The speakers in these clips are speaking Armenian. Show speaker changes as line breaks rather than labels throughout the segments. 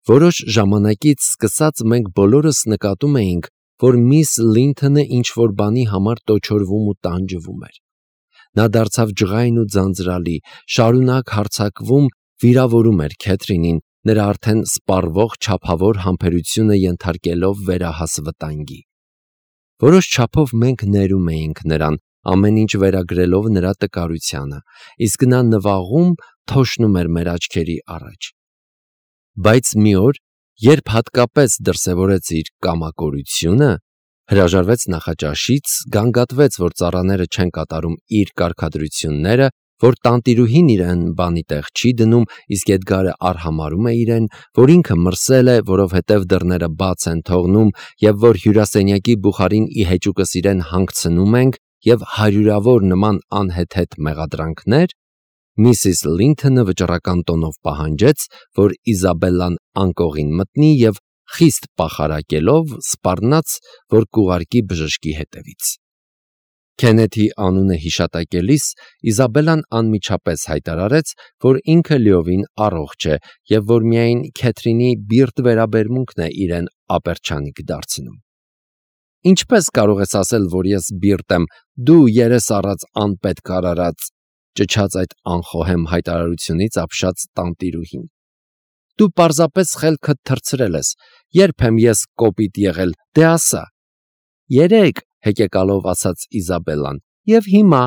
Որոշ ժամանակից սկսած մենք բոլորս նկատում էինք, որ միս Լինթոնը ինչ-որ բանի համար տոչորվում ու տանջվում էր։ Նա դարձավ ջղայն ու ձանձրալի, շարունակ հարձակվում, վիրավորում էր Քեթրինին, նրա արդեն սպառվող չափավոր համբերությունը ենթարկելով վերահաս վտանգի։ Որոշ չափով մենք ներում էինք նրան, ամեն ինչ վերագրելով նրա տկարությանը, իսկ նա նվաղում թոշնում էր մեր աչքերի առաջ։ Բայց մի օր, երբ հատկապես դրսևորեց իր կամակորությունը, հրաժարվեց նախաճաշից, գանգատվեց, որ ծառաները չեն կատարում իր կարգադրությունները, որ տանտիրուհին իրեն բանի տեղ չի դնում, իսկ Էդգարը արհամարհում է իրեն, որ ինքը մրսել է, որովհետև դռները բաց են թողնում, եւ որ հյուրասենյակի բուխարին ի հեճուկս իրեն հանգցնում ենք, եւ հարյուրավոր նման անհեթեթ մեղադրանքներ, Միսիս Լինթոնը վճռական տոնով պահանջեց, որ Իզաբելլան անկողին մտնի եւ խիստ պախարակելով սպառնաց, որ կուղարկի բժշկի հետևից։ Քենեթի անունը հիշատակելիս Իզաբելլան անմիջապես հայտարարեց, որ ինքը լիովին առողջ է եւ որ միայն Քեթրինի բիրտ վերաբերմունքն է իրեն ապերչանիկ դարձնում։ Ինչպես կարող ես ասել, որ ես բիրտ եմ, դու երես առած անպետք արարած, ճչաց այդ անխոհեմ հայտարարությունից ապշած տանտիրուհին։ Դու պարզապես խելքդ թռցրել ես, երբ եմ ես կոպիտ եղել, դե ասա։ Երեք, հեկեկալով ասաց Իզաբելլան, եւ հիմա։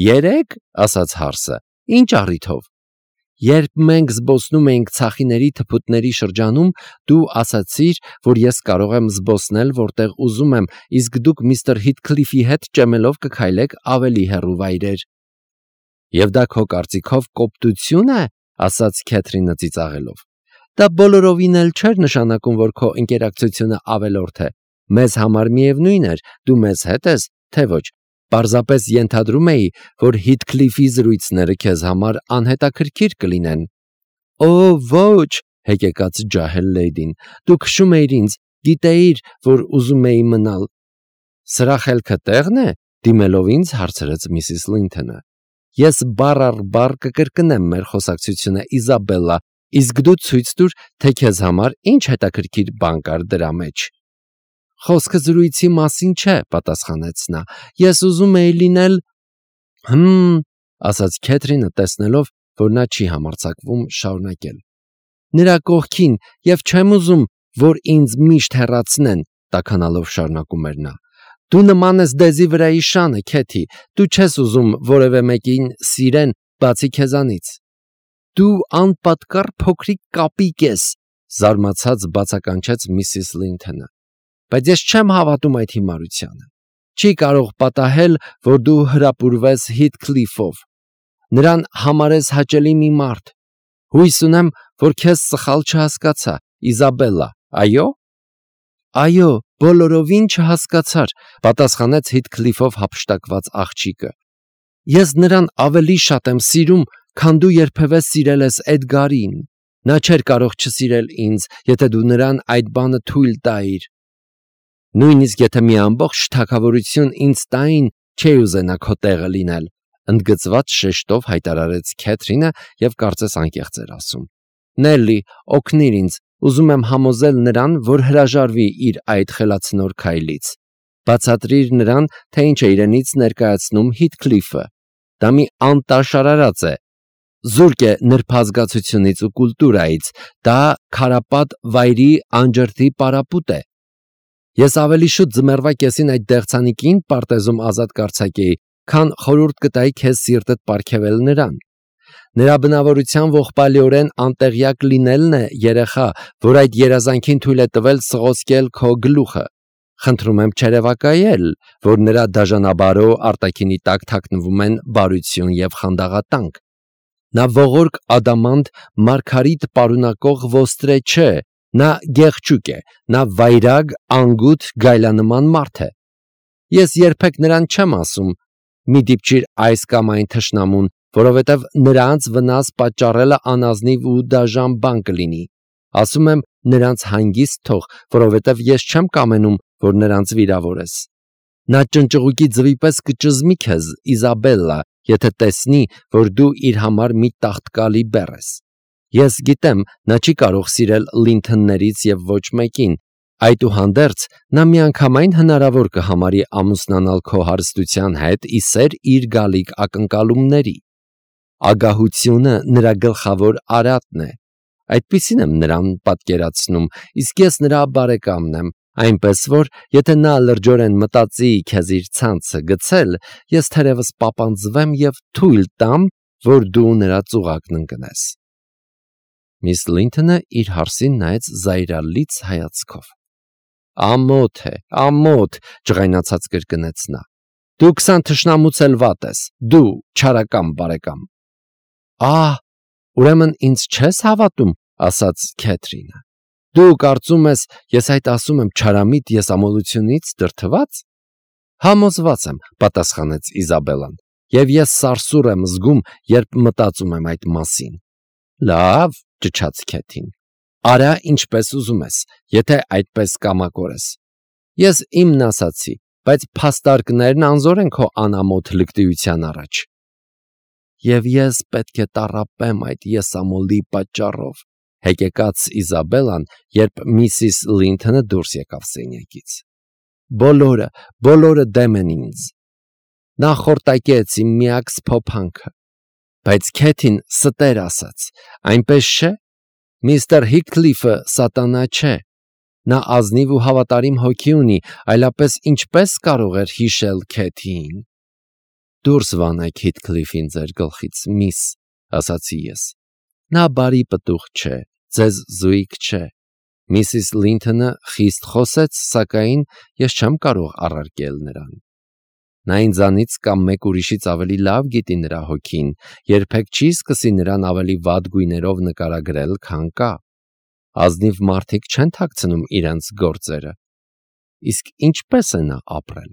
Երեք, ասաց հարսը, ինչ առիթով։ Երբ մենք զբոսնում էինք ցախիների թփուտների շրջանում, դու ասացիր, որ ես կարող եմ զբոսնել որտեղ ուզում եմ, իսկ դուք միստր Հիթքլիֆի հետ ճեմելով կքայլեք ավելի հեռու վայրեր։ Եվ դա քո կարծիքով կոպտություն է, ասաց Քեթրինը ծիծաղելով։ Դա բոլորովին էլ չէր նշանակում, որ քո ինտերակցիոնը ավելորդ է։ Մեզ համար միևնույն էր, դու մեզ հետ ես, թե ոչ։ Պարզապես ենթադրում էի, որ Հիթքլիֆի զրույցները քեզ համար անհետաքրքիր կլինեն։ Օ, ոչ, հեկեկաց ջահել լեյդին, դու քշում էիր ինձ, գիտեիր, որ ուզում էի մնալ։ Սրա խելքը տեղն է, դիմելով ինձ հարցրեց Միսիս Լինթոնը։ Ես բառ առ բառ կկրկնեմ մեր խոսակցությունը, Իզաբելլա, իսկ դու ցույց տուր, թե քեզ համար ինչ հետաքրքիր բան կար դրա մեջ։ Խոսքը զրույցի մասին չէ, պատասխանեց նա։ Ես ուզում էի լինել… ասաց Քեթրինը, տեսնելով, որ նա չի համարձակվում շարունակել։ Նրա կողքին, եւ չեմ ուզում, որ ինձ միշտ հեռացնեն, տաքանալով շարունակում էր նա։ Դու նման ես դեզի վրայի շանը, Քեթի, դու չես ուզում որևէ մեկին սիրեն, բացի քեզանից։ Դու անպատկառ փոքրիկ կապիկ ես, զարմացած բացականչեց Միսիս Լինթոնը։ Բայց ես չեմ հավատում այդ հիմարությանը։ Չի կարող պատահել, որ դու հրապուրվես Հիթքլիֆով։ Նրան համարես հաճելի մի մարդ։ Հույս ունեմ, որ քեզ սխալ չհասկացա, Իզաբելլա, այո։ Այո, բոլորովին չհասկացար, պատասխանեց Հիթքլիֆով հափշտակված աղջիկը։ Ես նրան ավելի շատ եմ սիրում, քան դու երբևէ սիրել ես Էդգարին։ Նա չէր կարող չսիրել ինձ, եթե դու նրան այդ բանը թույլ տայիր։ Նույնիսկ եթե մի ամբողջ թագավորություն ինձ տային, չէի ուզենա քո տեղը լինել, ընդգծված շեշտով հայտարարեց Քեթրինը եւ կարծես անկեղծ էր ասում։ Նելլի, օգնիր ինձ, ուզում եմ համոզել նրան, որ հրաժարվի իր այդ խելացնոր քայլից։ Բացատրիր նրան, թե ինչ է իրենից ներկայացնում Հիթքլիֆը։ Դա մի անտաշարարած է։ Զուրկ է նրբազգացությունից ու կուլտուրայից, դա քարապատ վայրի անջրդի պարապուտ է։ Ես ավելի շուտ ձմեռվա կեսին այդ դեղցանիկին պարտեզում ազատ կարձակեի, քան խորհուրդ կտայի քեզ սիրտդ պարգևել նրան։ Նրա բնավորության ողբալիորեն անտեղյակ լինելն է, երեխա, որ այդ երազանքին թույլ է տվել սղոսկել քո գլուխը։ Խնդրում եմ չերևակայել, որ նրա դաժանաբարո արտաքինի տակ թաքնվում են բարություն եւ խանդաղատանք։ Նա ողորկ ադամանտ մարգարիտ պարունակող ոստրե չէ, նա գեղչուկ է, նա վայրագ, անգութ, գայլանման մարդ է։ Ես երբեք նրան չեմ ասում. մի դիպչիր այս կամ այն թշնամուն, որովհետև նրանց վնաս պատճառելը անազնիվ ու դաժան բան կլինի։ Ասում եմ նրանց հանգիստ թող, որովհետև ես չեմ կամենում, որ նրանց վիրավորես։ Նա ճնճղուկի ձվի պես կճզմի քեզ, Իզաբելլա, եթե տեսնի, որ դու իր համար մի տաղտկալի բեռ ես։ Ես գիտեմ, նա չի կարող սիրել Լինթոններից եւ ոչ մեկին, այդուհանդերձ նա միանգամայն հնարավոր կհամարի ամուսնանալ քո հարստության հետ ի սեր իր գալիք ակնկալումների։ Ագահությունը նրա գլխավոր արատն է։ Այդպիսին եմ նրան պատկերացնում, իսկ ես նրա բարեկամն եմ, այնպես որ եթե նա լրջորեն մտածի քեզ իր ցանցը գցել, ես թերևս պապանձվեմ եւ թույլ տամ, որ դու նրա ծուղակն ընկնես։ Միս Լինթոնը իր հարսին նայեց զայրալից հայացքով։ Ամոթ է, ամոթ, ջղայնացած կրկնեց նա։ Դու 20 թշնամուց էլ վատ ես, դու չարական բարեկամ։ Ահ, ուրեմն ինձ չես հավատում, ասաց Քեթրինը։ Դու կարծում ես, ես այդ ասում եմ չարամիտ եսամոլությունից դրդված։ Համոզված եմ, պատասխանեց Իզաբելլան, եւ ես սարսուռ եմ զգում, երբ մտածում եմ այդ մասին։ Լավ, ճչաց Քեթին։ Արա ինչպես ուզում ես, եթե այդպես կամակորես։ Ես իմն ասացի, բայց փաստարկներն անզոր են քո անամոթ լկտիության առաջ։ Եվ ես պետք է տառապեմ այդ եսամոլի պատճառով, հեկեկաց Իզաբելլան, երբ միսիս Լինթոնը դուրս եկավ սենյակից։ Բոլորը դեմ են ինձ։ Նա խորտակեց իմ միակ սփոփանքը։ Բայց Քեթին ստեր ասաց, այնպես չէ։ Միստր Հիքլիֆը սատանա չէ։ Նա ազնիվ ու հավատարիմ հոգի ունի, այլապես ինչպես կարող էր հիշել Քեթիին։ Դուրս վանեք Հիթքլիֆին ձեր գլխից, միս, ասացի ես։ Նա բարի պտուղ չէ, ձեզ զույգ չէ։ Միսիս Լինթոնը խիստ խոսեց, սակայն ես չեմ կարող առարկել նրան։ Նա ինձանից կամ մեկ ուրիշից ավելի լավ գիտի նրա հոգին, երբեք չի սկսի նրան ավելի վատ գույներով նկարագրել, քան կա։ Ազնիվ մարդիկ չեն թաքցնում իրենց գործերը։ Իսկ ինչպես է նա ապրել,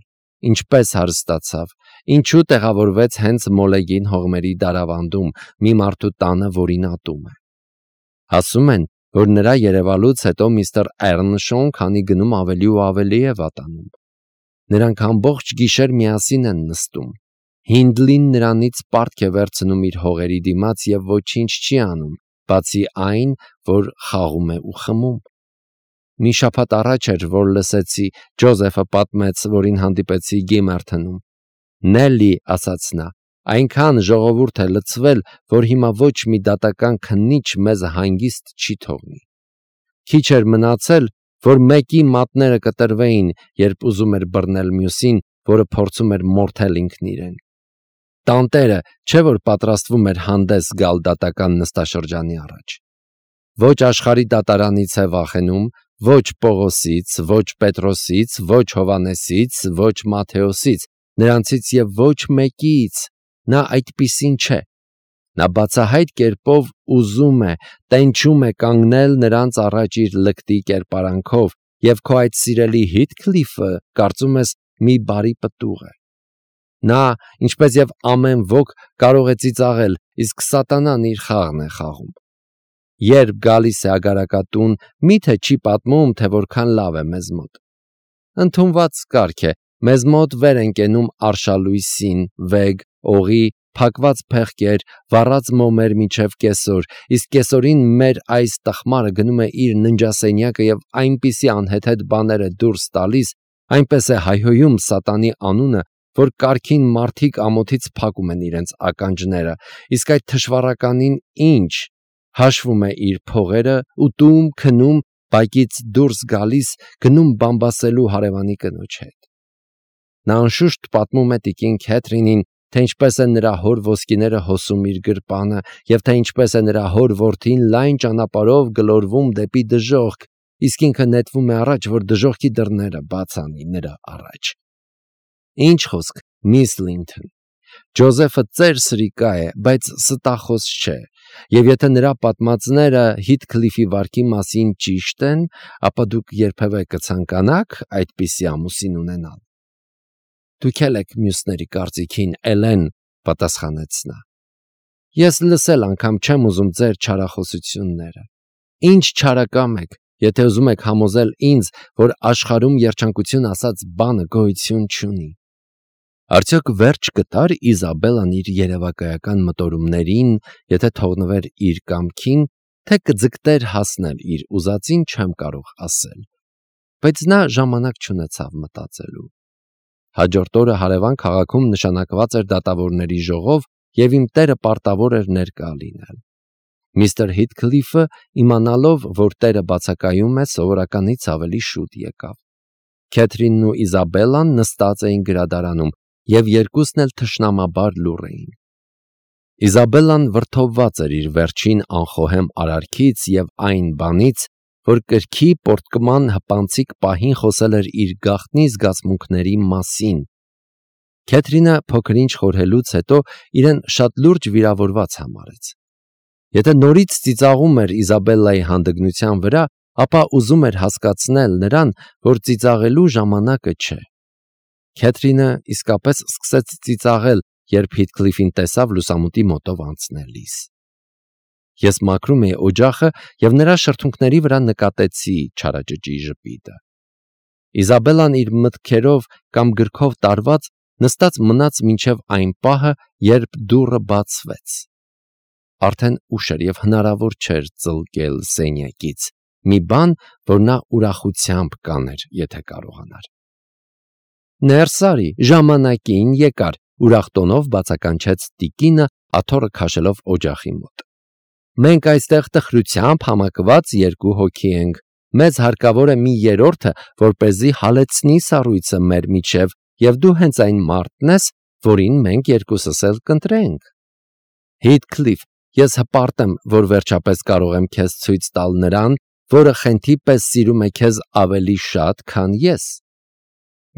ինչպես հարստացավ, ինչու տեղավորվեց հենց Մոլեգին հողմերի դարավանդում մի մարդու տանը, որին ատում է։ Ասում են, որ նրա երևալուց հետո միստր Էռնշոուն քանի գնում ավելի ու ավելի է վատանում։ Նրանք ամբողջ գիշեր միասին են նստում։ Հինդլին նրանից պարտք է վերցնում իր հողերի դիմաց եւ ոչինչ չի անում, բացի այն, որ խաղում է ու խմում։ Մի շաբաթ առաջ էր, որ լսեցի, Ջոզեֆը պատմեց, որին հանդիպեցի Գիմերթնում։ Նելլի, ասաց նա, այնքան ժողովուրդ է լցվել, որ հիմա ոչ մի դատական քննիչ մեզ հանգիստ չի թողնի։ Քիչ էր մնացել, որ մեկի մատները կտրվեին, երբ ուզում էր բռնել մյուսին, որը փորձում էր մորթել ինքն իրեն։ Տանտերը չէ որ պատրաստվում էր հանդես գալ դատական նստաշրջանի առաջ։ Ոչ աշխարհի դատարանից է վախենում, ոչ Պողոսից, ոչ Պետրոսից, ոչ Հովանեսից, ոչ Մաթեոսից, նրանցից եւ ոչ մեկից։ Նա այդպիսին չէ։ Նա բացահայտ կերպով ուզում է, տենչում է կանգնել նրանց առաջ իր լկտի կերպարանքով, եւ քո այդ սիրելի Հիթքլիֆը, կարծում ես, մի բարի պտուղ է։ Նա, ինչպես եւ ամեն ոք, կարող է ծիծաղել, իսկ սատանան իր խաղն է խաղում։ Երբ գալիս է ագարակատուն, միթե չի պատմում, թե որքան լավ է մեզ մոտ։ Ընդունված կարգ է, մեզ մոտ վեր են կենում արշալույսին, վեգ, օղի, փակված փեղկեր, վառած մոմեր միջև կեսօր, իսկ կեսօրին մեր այս տխմարը գնում է իր ննջասենյակը եւ այնպիսի անհեթեթ բաներ է դուրս տալիս, այնպես է հայհոյում սատանի անունը, որ կարգին մարդիկ ամոթից փակում են իրենց ականջները, իսկ այդ թշվառականին ինչ, հաշվում է իր փողերը, ուտում, քնում, բակից դուրս գալիս, գնում բամբասելու հարևանի կնոջ հետ։ Նա անշուշտ պատմում է տիկին Քեթրինին, թե ինչպես է նրա հոր ոսկիները հոսում իր գրպանը, եւ թե ինչպես է նրա հոր որդին լայն ճանապարհով գլորվում դեպի դժոխք, իսկ ինքը նետվում է առաջ, որ դժոխքի դռները բաց անի նրա առաջ։ Ինչ խոսք, միս Լինթոն, Ջոզեֆը ծեր սրիկա է, բայց ստախոս չէ, եւ եթե նրա պատմածները Հիթքլիֆի վարքի մասին ճիշտ են, ապա դուք երբևէ կցանկանաք այդպիսի ամուսին ունենալ։ Դուք եք մյուսների կարծիքին, Էլեն, պատասխանեց նա։ Ես լսել անգամ չեմ ուզում ձեր չարախոսությունները։ Ինչ չարակամ եք, եթե ուզում եք համոզել ինձ, որ աշխարհում երջանկություն ասած բանը գոյություն չունի։ Արդյոք վերջ կտար Իզաբելլան իր երևակայական մտորումներին, եթե թողնվեր իր կամքին, թե կձգտեր հասնել իր ուզածին, չեմ կարող ասել, բայց նա ժամանակ չունեցավ մտածելու։ Հաջորդ օրը հարևան քաղաքում նշանակված էր դատավորների ժողով և իմ տերը պարտավոր էր ներկա լինել։ Միստր Հիթքլիֆը, իմանալով, որ տերը բացակայում է, սովորականից ավելի շուտ եկավ։ Քեթրինն ու Իզաբելլան նստած էին գրադարանում և երկուսն էլ թշնամաբար լուռ էին։ Իզաբելլան վրդովված էր իր վերջին անխոհեմ արարքից և այն բանից, որ կրքի պոռթկման հպանցիկ պահին խոսել էր իր գաղտնի զգացմունքների մասին։ Քեթրինը փոքր-ինչ խորհելուց հետո իրեն շատ լուրջ վիրավորված համարեց։ Եթե նորից ծիծաղում էր Իզաբելլայի հանդգնության վրա, ապա ուզում էր հասկացնել նրան, որ ծիծաղելու ժամանակը չէ։ Քեթրինը իսկապես սկսեց ծիծաղել, երբ Հիթքլիֆին տեսավ լուսամուտի մոտով անցնելիս։ Ես մաքրում էի օջախը և նրա շրթունքների վրա նկատեցի չարաճճի ժպիտը։ Իզաբելլան իր մտքերով կամ գրքով տարված նստած մնաց մինչև այն պահը, երբ դուռը բացվեց։ Արդեն ուշ էր և հնարավոր չէր ծլկել սենյակից, մի բան, որ նա ուրախությամբ կաներ, եթե կարողանար։ «Ներս արի, ժամանակին եկար», ուրախ տոնով բացականչեց տիկինը, աթոռը քաշելով օջախի մոտ։ «Մենք այստեղ տխրությամբ համակված երկու հոգի ենք։ Մեզ հարկավոր է մի երրորդը, որպեսզի հալեցնի սառույցը մեր միջև, և դու հենց այն մարդն ես, որին մենք երկուսս էլ կընտրենք։ Հիթքլիֆ, ես հպարտ եմ, որ վերջապես կարող եմ քեզ ցույց տալ նրան, որը խենթի պես սիրում է քեզ ավելի շատ, քան ես։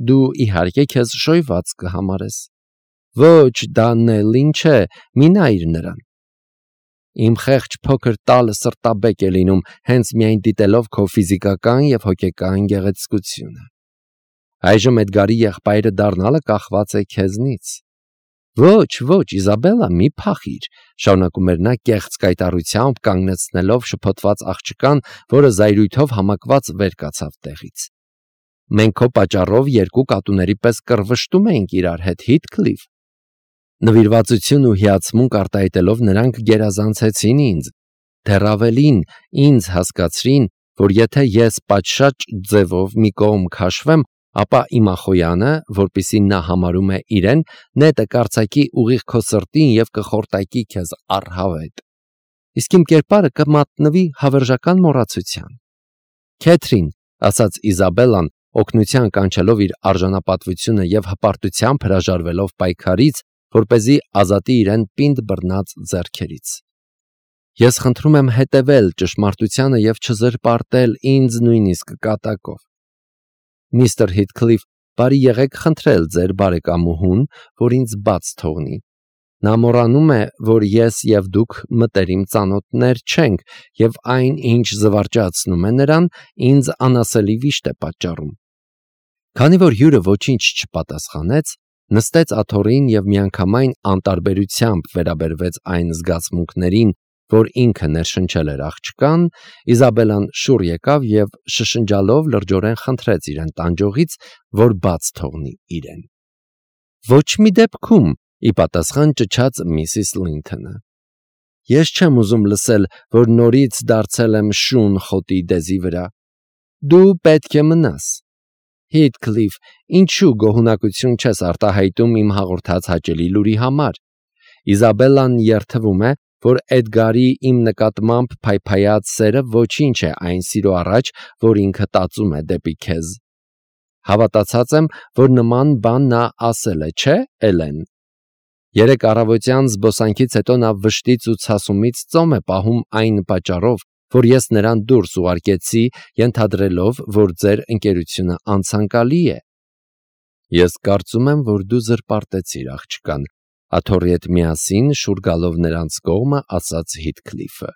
Դու իհարկե քեզ շոյված կհամարես։ Ոչ, դա Նելլին չէ, մի նայիր նրան։ Իմ խեղճ փոքր տալը սրտաբեկ է լինում, հենց միայն դիտելով քո ֆիզիկական և հոգեկան գեղեցկությունը։ Այժմ Էդգարի եղբայրը դառնալը կախված է քեզնից։ Ոչ, Իզաբելլա, մի փախիր, շարունակում էր նա կեղծ կայտառությամբ, կանգնեցնելով շփոթված աղջկան, որը զայրույթով համակված վեր կացավ տեղից։ Մենք քո պատճառով երկու կատուների պես կռվշտում էինք իրար հետ, Հիթքլիֆ։ Նվիրվածություն ու հիացմունք արտահայտելով նրանք գերազանցեցին ինձ, դեռ ավելին, ինձ հասկացրին, որ եթե ես պատշաճ ձևով մի կողմ քաշվեմ, ապա Իմախոյանը, որպիսի նա համարում է իրեն, նետը կարձակի ուղիղ քո սրտին և կխորտակի քեզ առհավետ։ Իսկ իմ կերպարը կմատնվի հավերժական մոռացության։ Քեթրին, ասաց Իզաբելլան, օգնության կանչելով իր արժանապատվությունը և հպարտությամբ հրաժարվելով պայքարից, որպեսզի ազատի իրեն պինդ բռնած ձեռքերից։ Ես խնդրում եմ հետևել ճշմարտությանը և չզրպարտել ինձ նույնիսկ կատակով։ Միստր Հիթքլիֆ, բարի եղեք խնդրել ձեր բարեկամուհուն, որ ինձ բաց թողնի։ Նա մոռանում է, որ ես և դուք մտերիմ ծանոթներ չենք, և այն, ինչ զվարճացնում է նրան, ինձ անասելի վիշտ է պատճառում։ Քանի որ հյուրը ոչինչ չպատասխանեց, նստեց աթոռին և միանգամայն անտարբերությամբ վերաբերվեց այն զգացմունքներին, որ ինքը ներշնչել էր աղջկան, Իզաբելլան շուռ եկավ և շշնջալով լրջորեն խնդրեց իրեն տանջողից, որ բաց թողնի իրեն։ Ոչ մի դեպքում, ի պատասխան ճչաց միսիս Լինթոնը։ Ես չեմ ուզում լսել, որ նորից դարձել եմ շուն խոտի դեզի վրա։ Դու պետք է մնաս։ Հիթքլիֆ, ինչու գոհունակություն չես արտահայտում իմ հաղորդած հաճելի լուրի համար։ Իզաբելլան երդվում է, որ Էդգարի իմ նկատմամբ փայփայած սերը ոչինչ է այն սիրո առաջ, որ ինքը տածում է դեպի քեզ։ Հավատացած եմ, որ նման բան նա ասել է, չէ՞, Էլեն։ Երեկ առավոտյան զբոսանքից հետո նա վշտից ու ցասումից ծոմ է պահում այն պատճառով, որ ես նրան դուրս ուղարկեցի, ենթադրելով, որ ձեր ընկերությունը անցանկալի է։ Ես կարծում եմ, որ դու զրպարտեցիր աղջկան, աթոռի հետ միասին շուռ գալով նրանց կողմը, ասաց Հիթքլիֆը։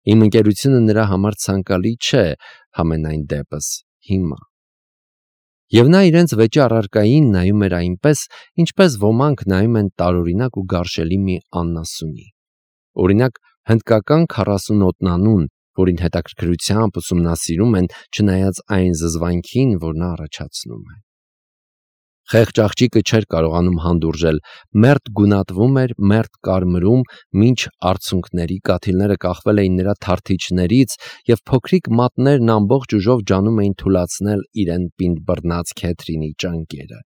Իմ ընկերությունը նրա համար ցանկալի չէ, համենայն դեպս հիմա։ Եվ նա իրենց վեճի առարկային նայում էր այնպես, ինչպես ոմանք նայում են տարօրինակ ու գարշելի մի անասունի։ Օրինակ, հնդկական 40 ոտնանուն, որին հետաքրքրությամբ ուսումնասիրում են, չնայած այն զզվանքին, որ նա առաջացնում է։ Խեղճ աղջիկը չէր կարողանում հանդուրժել, մերթ գունատվում էր, մերթ կարմրում, մինչ արցունքների կաթիլները կախվել էին նրա թարթիչներից և փոքրիկ մատներն ամբողջ ուժով ջանում էին թուլացնել իրեն պինդ բռնած Քեթրինի ճանկերը։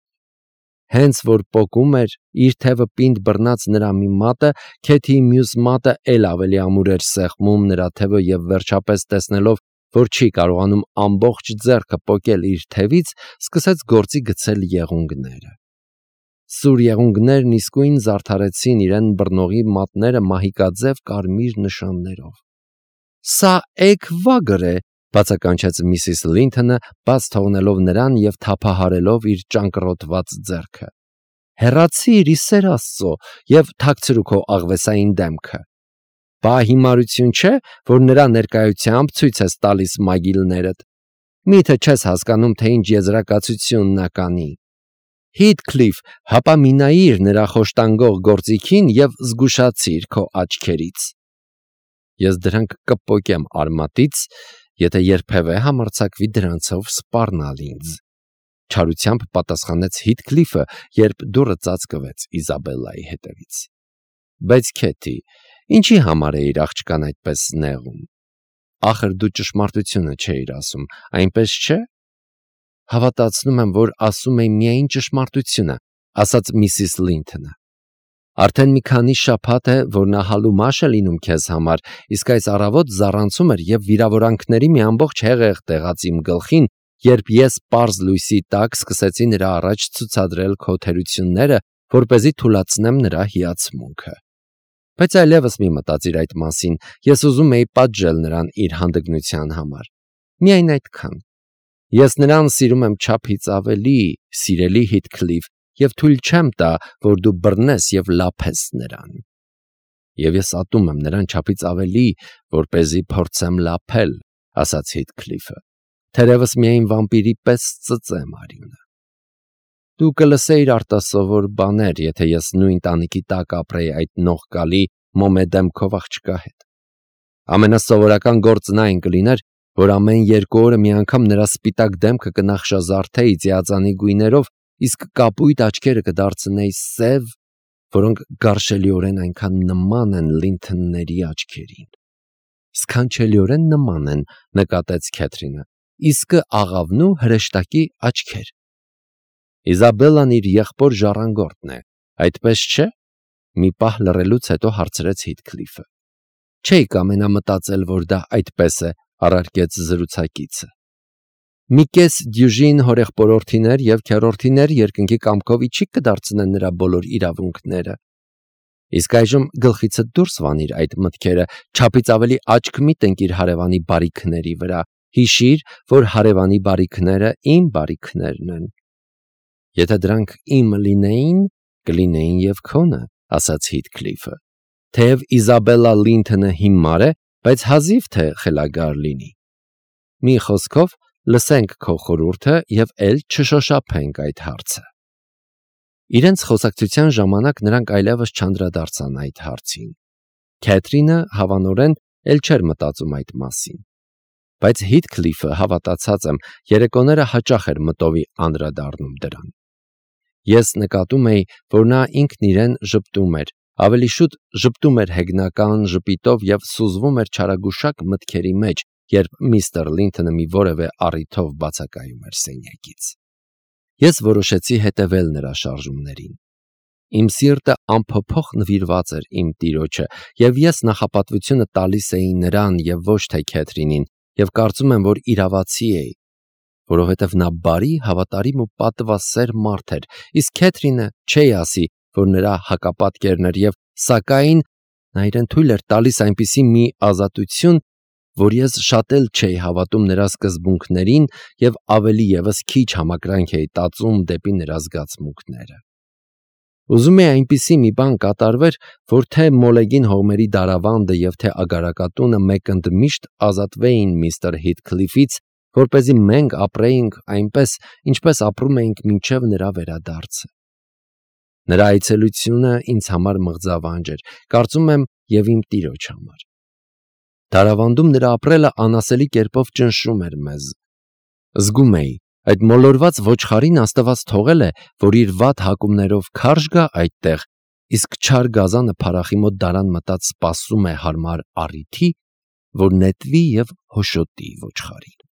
Հենց որ պոկում էր, իր թևը պինդ բռնած նրա մի մատը, Քեթիի մյուս մատը էլ ավելի ամուր էր սեղմում նրա թևը և վերջապես տեսնելով, որ չի կարողանում ամբողջ ձեռքը պոկել իր թևից, սկսեց գործի գցել եղունգները։ Սուր եղունգներն իսկույն զարդարեցին իրեն բռնողի մատները մահիկաձև կարմիր նշաններով։ «Սա էգվագր է», բացականչեց Միսիս Լինթոնը, բաց թողնելով նրան և թափահարելով իր ճանկռոտված ձեռքը։ «Հեռացի՛ր, ի սեր Աստծո, և թաքցրու քո աղվեսային դեմքը։ Բա հիմարություն չէ, որ նրա ներկայությամբ ցույց ես տալիս մագիլներդ։ Մի՞թե չես հասկանում, թե ինչ եզրակացություն նա կանի։ Հիթքլիֆ, հապա մի նայիր նրա խոշտանգող գործիքին և զգուշացիր քո աչքերից։ Ես դրանք կպոկեմ արմատից, եթե երբևէ համարձակվի դրանցով սպառնալ ինձ», չարությամբ պատասխանեց Հիթքլիֆը, երբ դուռը ծածկվեց Իզաբելլայի հետևից։ «Բայց Քեթի, ինչի համար էիր աղջկան այդպես նեղում։ Ախր դու ճշմարտությունը չէիր ասում, այնպես չէ»։ «Հավատացնում եմ, որ ասում էի միայն ճշմարտությունը», ասաց Միսիս Լինթոնը։ «Արդեն մի քանի շաբաթ է, որ նա հալումաշ է լինում քեզ համար, իսկ այս առավոտ զառանցում էր և վիրավորանքների մի ամբողջ հեղեղ տեղաց իմ գլխին, երբ ես պարզ լույսի տակ սկսեցի նրա առաջ ցուցադրել քո թերությունները, որպեսզի թուլացնեմ նրա հիացմունքը։ Բայց այլևս մի մտածիր այդ մասին, ես ուզում էի պատժել նրան իր հանդգնության համար։ Միայն այդքան։ Ես նրան սիրում եմ չափից ավելի, սիրելի Հիթքլիֆ, և թույլ չեմ տա, որ դու բռնես և լափես նրան։ Եվ ես ատում եմ նրան չափից ավելի, որպեսզի փորձեմ լափել, ասաց Հիթքլիֆը, թերևս միայն վամպիրի պես ծծեմ արյունը։ Դու կլսեիր արտասովոր բաներ, եթե ես նույն տանիքի տակ ապրեի այդ նողկալի մոմեդեմքով աղջկա հետ։ Ամենասովորական գործն այն կլիներ, որ ամեն 2 օրը մի անգամ նրա սպիտակ դեմքը կնախշազարդեի ձիածանի գույներով, իսկ կապույտ աչքերը կդարձնեի սև, որոնք գարշելիորեն այնքան նման են Լինթոնների աչքերին։ Սքանչելիորեն նման են, նկատեց Քեթրինը, իսկը աղավնու հրեշտակի աչքեր։ Իզաբելլան իր եղբոր ժառանգորդն է, այդպես չէ։ Մի պահ լռելուց հետո հարցրեց Հիթքլիֆը։ Չէի կամենա մտածել, որ դա այդպես է, առարկեց զրուցակիցը։ Մի կես դյուժին հորեղբորորդիներ և քեռորդիներ երկնքի կամքով իջի կդարձնեն նրա բոլոր իրավունքները։ Իսկ այժմ գլխիցդ դուրս վանիր այդ մտքերը, չափից ավելի աչք մի տնկիր հարևանի բարիքների վրա, հիշիր, որ հարևանի բարիքները իմ բարիքներն են։ Եթե դրանք իմ լինեին, կլինեին և քոնը, ասաց Հիթքլիֆը։ Թեև Իզաբելլա Լինթոնը հիմար է, բայց հազիվ թե խելագար լինի։ Մի խոսքով, լսենք քո խորհուրդը և էլ չշոշափենք այդ հարցը։ Իրենց խոսակցության ժամանակ նրանք այլևս չանդրադարձան այդ հարցին։ Քեթրինը հավանորեն էլ չէր մտածում այդ մասին։ Բայց Հիթքլիֆը, հավատացած եմ, երեկոները հաճախ էր մտովի անդրադառնում դրան։ Ես նկատում էի, որ նա ինքն իրեն ժպտում էր, ավելի շուտ ժպտում էր հեգնական ժպիտով և սուզվում էր չարագուշակ մտքերի մեջ, երբ միստր Լինթոնը մի որևէ առիթով բացակայում էր սենյակից։ Ես որոշեցի հետևել նրա շարժումներին։ Իմ սիրտը անփոփոխ նվիրված էր իմ տիրոջը, և ես նախապատվությունը տալիս էի նրան և ոչ թե Քեթրինին, և կարծում եմ, որ իրավացի էի, որովհետև նա բարի, հավատարիմ ու պատվասեր մարդ էր, իսկ Քեթրինը չէի ասի, որ նրա հակապատկերն էր, և սակայն նա իրեն թույլ էր տալիս այնպիսի մի ազատություն, որ ես շատ էլ չէի հավատում նրա սկզբունքներին և ավելի ևս քիչ համակրանք էի տածում դեպի նրա զգացմունքները։ Ուզում էի այնպիսի մի բան կատարվեր, որ թե Մոլեգին հողմերի դարավանդը և թե ագարակատունը մեկընդմիշտ ազատվեին միստր Հիթքլիֆից, որպեսզի մենք ապրեինք այնպես, ինչպես ապրում էինք մինչև նրա վերադարձը։ Նրա այցելությունը ինձ համար մղձավանջ էր, կարծում եմ, և իմ տիրոջ համար։ Դարավանդում նրա ապրելը անասելի կերպով ճնշում էր մեզ։ Զգում էի, Այդ մոլորված ոչխարին Աստված թողել է, որ իր վատ հակումներով քարշ գա այդտեղ, իսկ չար գազանը փարախի մոտ դարան մտած սպասում է հարմար առիթի, որ նետվի և հոշոտի ոչխարին։